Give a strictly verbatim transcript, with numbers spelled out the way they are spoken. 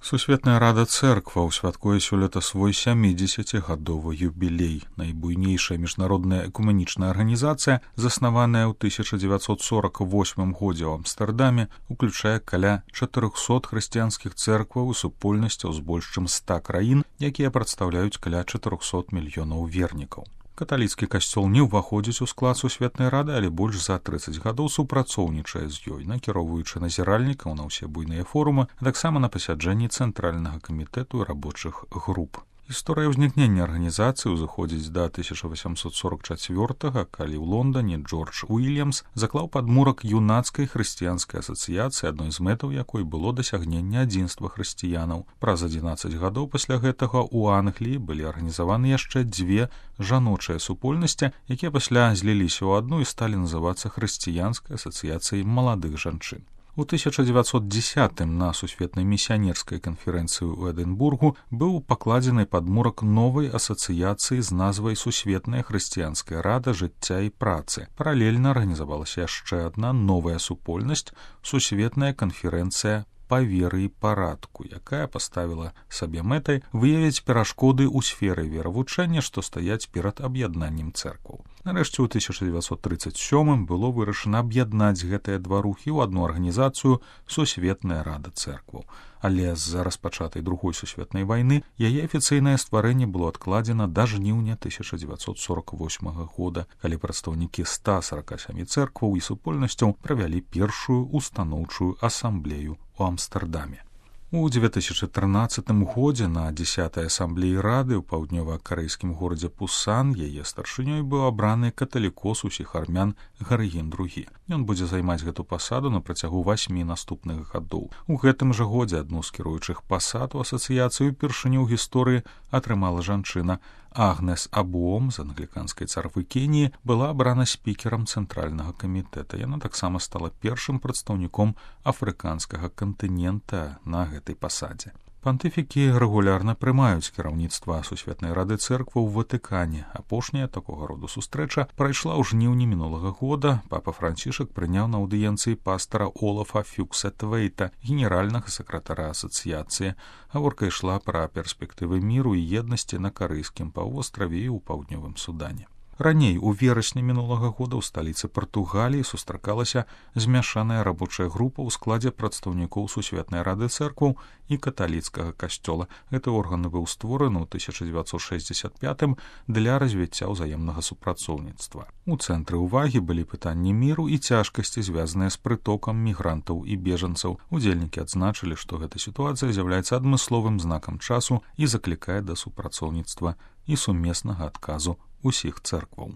Сусветная рада цэркваў святкуе сёлета свой сямідзесяцігадовы юбілей. Найбуйнейшая міжнародная экуменічная арганізацыя, заснаваная ў тысяча дзевяцьсот сорок восьмым годзе ў Амстэрдаме, уключае каля чатырохсот хрысціянскіх цэркваў і супольнасцяў з больш чым ста краін, якія прадстаўляюць каля чатырохсот мільёнаў вернікаў. Каталіцкі касцёл не ўваходзіць у склад Сусветнай рады, але больш за трыццаць гадоў супрацоўнічае з ёй, накіроўваючы назіральнікаў на ўсе буйныя форумы, а таксама на пасяджэнні цэнтральнага камітэту і рабочых груп. Гісторыя ўзнікнення арганізацыі ўзыходзіць да тысяча васямсот сорок чацвёртага, калі ў Лондане Джордж Уільямс заклаў падмурак юнацкай хрысціянскай асацыяцыі, адной з мэтаў якой было дасягненне адзінства хрысціянаў. Праз адзінаццаць гадоў пасля гэтага ў Англіі былі арганізаваны яшчэ дзве жаночыя супольнасці, якія пасля зліліся ў адну і сталі называцца хрысціянскай асацыяцыяй маладых жанчын. У тысяча дзевяцьсот дзесятым на сусветнай місіянерскай канферэнцыі ў Эдынбургу быў пакладзены падмурак новай асацыяцыі з назвай Сусветная хрысціянская рада жыцця і працы. Паралельна арганізавалася яшчэ адна новая супольнасць — Сусветная канферэнцыя па веры і парадку, якая паставіла сабе мэтай выявіць перашкоды ў сферы веравучэння, што стаяць перад аб'яднаннем цэркваў. Нарэшце, ў тысяча дзевяцьсот трыццаць сёмым было вырашана аб'яднаць гэтыя два рухі ў адну арганізацыю Сусветная рада цэркваў. Але з-за распачатай другой сусветнай вайны яе афіцыйнае стварэнне было адкладзена да жніўня тысяча дзевяцьсот сорок восьмага года, калі прадстаўнікі ста сорока сямі цэркваў і супольнасцяў правялі першую устаноўчую асамблею у Амстэрдаме. У две тысячи трынаццатым годзе на дзесятай асамблеі рады ў паўднёва-карэйскім горадзе Пусан яе старшынёй быў абраны каталікос усіх армян Гарыгін другі. Ён будзе займаць гэту пасаду на працягу васьмі наступных гадоў. У гэтым жа годзе адну з кіруючых пасад у асацыяцыі ўпершыню ў гісторыі атрымала жанчына. Агнес Абуом з англіканскай царквы Кеніі была абрана спікерам цэнтральнага камітэта. Яна таксама стала першым прадстаўніком афрыканскага кантынента на гэтай пасадзе. Пантыфікі рэгулярна прымаюць кіраўніцтва Сусветнай рады цэркваў у Ватыкане. Апошняя такога роду сустрэча прайшла ў жніўні мінулага года. Папа Францішак прыняў на аўдыенцыі пастара Олафа Фюкса-Твейта, генеральнага сакратара асацыяцыі. Гаворка ішла пра перспектывы міру і еднасці на карэйскім паўвостраве і ў паўднёвым Судане. Раней, у верасні мінулага года ў сталіцы Партугаліі сустракалася змяшаная рабочая група ў складзе прадстаўнікоў Сусветнай рады цэркваў і каталіцкага касцёла. Гэты орган быў створаны ў тысяча дзевяцьсот шэсцьдзесят пятым для развіцця ўзаемнага супрацоўніцтва. У цэнтры ўвагі былі пытанні міру і цяжкасці, звязаныя з прытокам мігрантаў і бежанцаў. Удзельнікі адзначылі, што гэта сітуацыя з'яўляецца адмысловым знакам часу і заклікае да супрацоўніцтва і сумеснага адказу усіх цэркваў.